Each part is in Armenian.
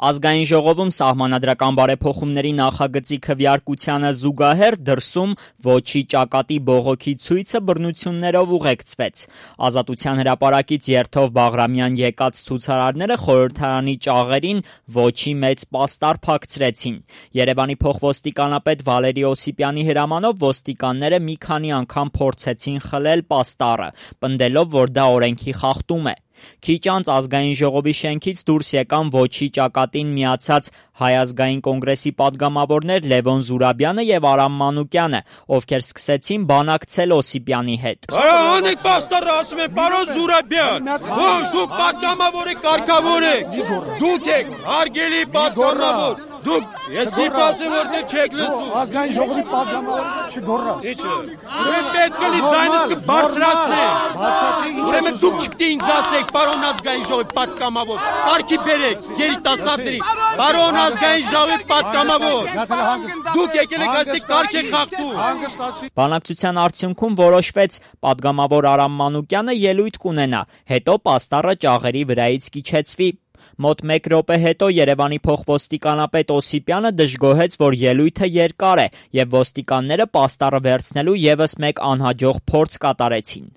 Ազգային ժողովում սահմանադրական բարեփոխումների նախագծի քվեարկությանը զուգահեռ դրսում ոչի ճակատի բողոքի ցույցը բռնություններով ուղեկցվեց։ Ազատության հրապարակից երթով Բաղրամյան եկած ցուցարարները խորհրդարանի ճաղերին ոչի մեծ պաստառ փակցրեցին։ Երևանի փոխոստիկանապետ Վալերի Օսիպյանի հրամանով ոստիկանները մի քանի անգամ փորձեցին խլել պաստառը, պնդելով, որ դա օրենքի խախտում է։ Քիչ անց ազգային ժողովի շենքից դուրս եկան ոչի ճակատին միացած Հայ ազգային կոնգրեսի падգամավորներ Լևոն Զուրաբյանը եւ Արամ Մանուկյանը, ովքեր սկսեցին բանակցել Օսիպյանի հետ։ Անեք պաստառը, ասում են, պարոն Զուրաբյան, ոչ, դուք падգամավոր եք, կարգավոր եք, դուք եք հարգելի падգամավոր, դուք ես դիպացեմ, որտեղ չեք լսում։ Ազգային ժողովի падգամավորը չգոռա։ Ինչը։ Դուք պետք է ձայնս կբարձրացնեք։ Ուրեմն դուք չպետք է ինձ ասեք, պարոն ազգային ժողովի падգամավոր, կարգի բերեք երիտասարդների, պարոն ազգային ժողովի падգամավոր։ Դուք եկել եք այստեղ կարգ եք խախտում։ Բանակցության արդյունքում որոշվեց падգամավոր Արամ Մանուկյանը ելույթ կունենա, հետո պաստառը ճաղերի վրայից կիչեցվի։ Մոտ 1 րոպե հետո Երևանի փոխոստիկանապետ Օսիպյանը դժգոհեց, որ ելույթը երկար է, եւ ոստիկանները պաստառը վերցնելու եւս մեկ անհաջող փորձ կատարեցին։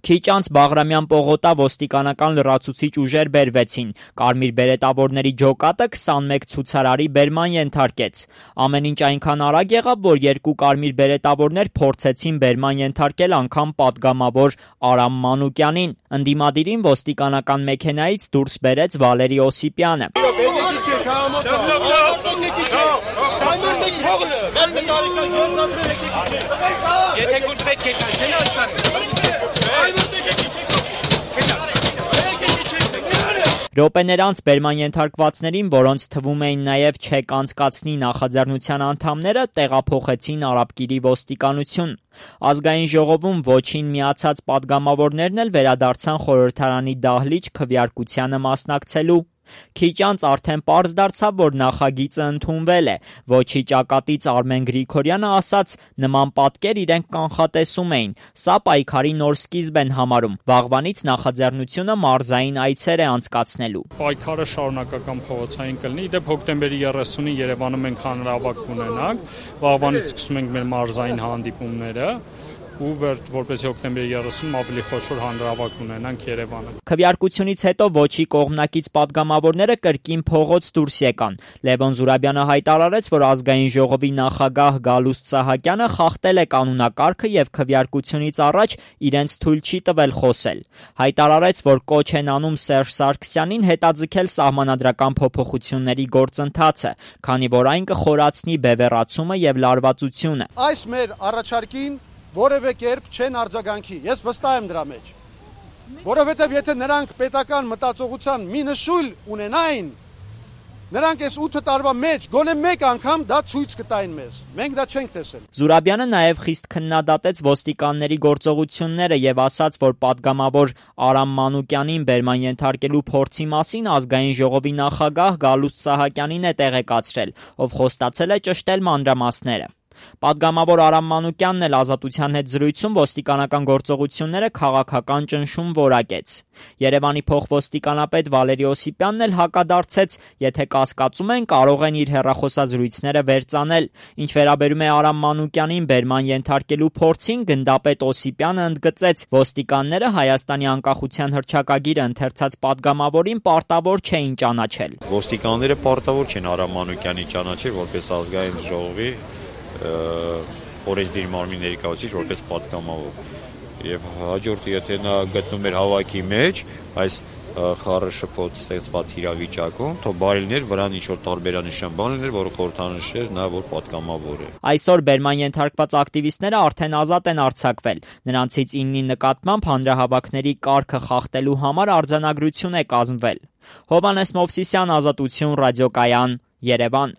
Քիչ անց Բաղրամյան պողոտա ոստիկանական լրացուցիչ ուժեր բերվեցին։ Կարմիր բերետավորների ջոկատը 21 ցուցարարի բերման ենթարկեց։ Ամեն ինչ այնքան արագ եղավ, որ 2 կարմիր բերետավորներ փորձեցին բերման ենթարկել անգամ падգամավոր Արամ Մանուկյանին։ Ընդդիմադիրին ոստիկանական մեքենայից դուրս բերեց Վալերի Օսիպյանը։ Րոպեներ անց բերման ենթարկվածներին, որոնց թվում էին նաև չեք անցկացնի նախաձեռնության անդամները, տեղափոխեցին Արաբկիրի ոստիկանություն։ Ազգային ժողովում ոչին միացած падգամավորներն էլ վերադարձան խորհրդարանի դահլիճ քվեարկությանը մասնակցելու։ Քիչ անց արդեն պարզ դարձավ, որ նախագիծը ընդունվել է։ Ոչի ճակատից Արմեն Գրիգորյանը ասաց, նման պատկեր իրենք կանխատեսում էին։ Սա պայքարի նոր սկիզբ են համարում։ Վաղվանից նախաձեռնությունը մարզային այցեր է անցկացնելու։ Պայքարը շարունակական փողոցային կլինի։ Իդեպ հոկտեմբերի 30-ին Երևանում մենք հանրահավաք կունենանք։ Վաղվանից սկսում ենք մեր մարզային հանդիպումները։ Ու որպես հոկտեմբերի 30-ում ավելի խոշոր հանրահավաք ունենանք Երևանը։ Քվեարկությունից հետո ոչի կողմնակից падգամավորները կրկին փողոց դուրս եկան։ Լևոն Զուրաբյանը հայտարարեց, որ ազգային ժողովի նախագահ Գալուստ Սահակյանը խախտել է կանոնակարգը եւ քվեարկությունից առաջ իրենց թույլ չի տվել խոսել։ Հայտարարեց, որ կոչ են անում Սերժ Սարգսյանին հետաձգել սահմանադրական փոփոխությունների գործընթացը, քանի որ այն կխորացնի բևեռացումը եւ լարվածությունը։ Այս մեր առաջարկին որևէ կերպ չեն արձագանքի, ես վստահ եմ դրա մեջ, որովհետև եթե նրանք պետական մտածողության մի նշույլ ունենային, նրանք այս 8 տարվա մեջ գոնե մեկ անգամ դա ցույց կտային մեզ, մենք դա չենք տեսել։ Զուրաբյանը նաև խիստ քննադատեց ոստիկանների գործողությունները եւ ասաց, որ падգամավոր Արամ Մանուկյանին բերման ենթարկելու փորձի մասին ազգային ժողովի նախագահ Գալուստ Սահակյանին է տեղեկացրել, ով խոստացել է ճշտել մանրամասները։ Падգամավոր Արամ Մանուկյանն էլ Ազատության հետ զրույցում ոստիկանական գործողությունները քաղաքական ճնշում որակեց։ Երևանի փոխոստիկանապետ Վալերի Օսիպյանն էլ հակադարձեց, եթե կասկածում են, կարող են իր հեռախոսազրույցները վերծանել։ Ինչ վերաբերում է Արամ Մանուկյանին բերման ենթարկելու փորձին, գնդապետ Օսիպյանը ընդգծեց, ոստիկանները Հայաստանի անկախության հռչակագիրը ընթերցած падգամավորին պարտավոր չէին ճանաչել։ Ոստիկանները պարտավոր չեն Արամ Մանուկյանին ճանաչել որպես ազգային ժողովի օրենսդիր մարմնի ներկայացուցիչ որպես падգամավոր եւ հաջորդը եթե նա գտնում էր հավաքի մեջ այս խառը շփոթ ստեղծված իրավիճակում, թող բարիներ վրան ինչ-որ տարբերանշան բան լիներ, որը խորհրդանշեր նա որ падգամավոր է։ Այսօր բերման ենթարկված ակտիվիստները արդեն ազատ են արձակվել։ Նրանցից 9-ի նկատմամբ հանրահավաքների կարգը խախտելու համար արձանագրություն է կազմվել։ Հովհաննես Մովսիսյան, Ազատություն, ռադիոկայան, Երևան։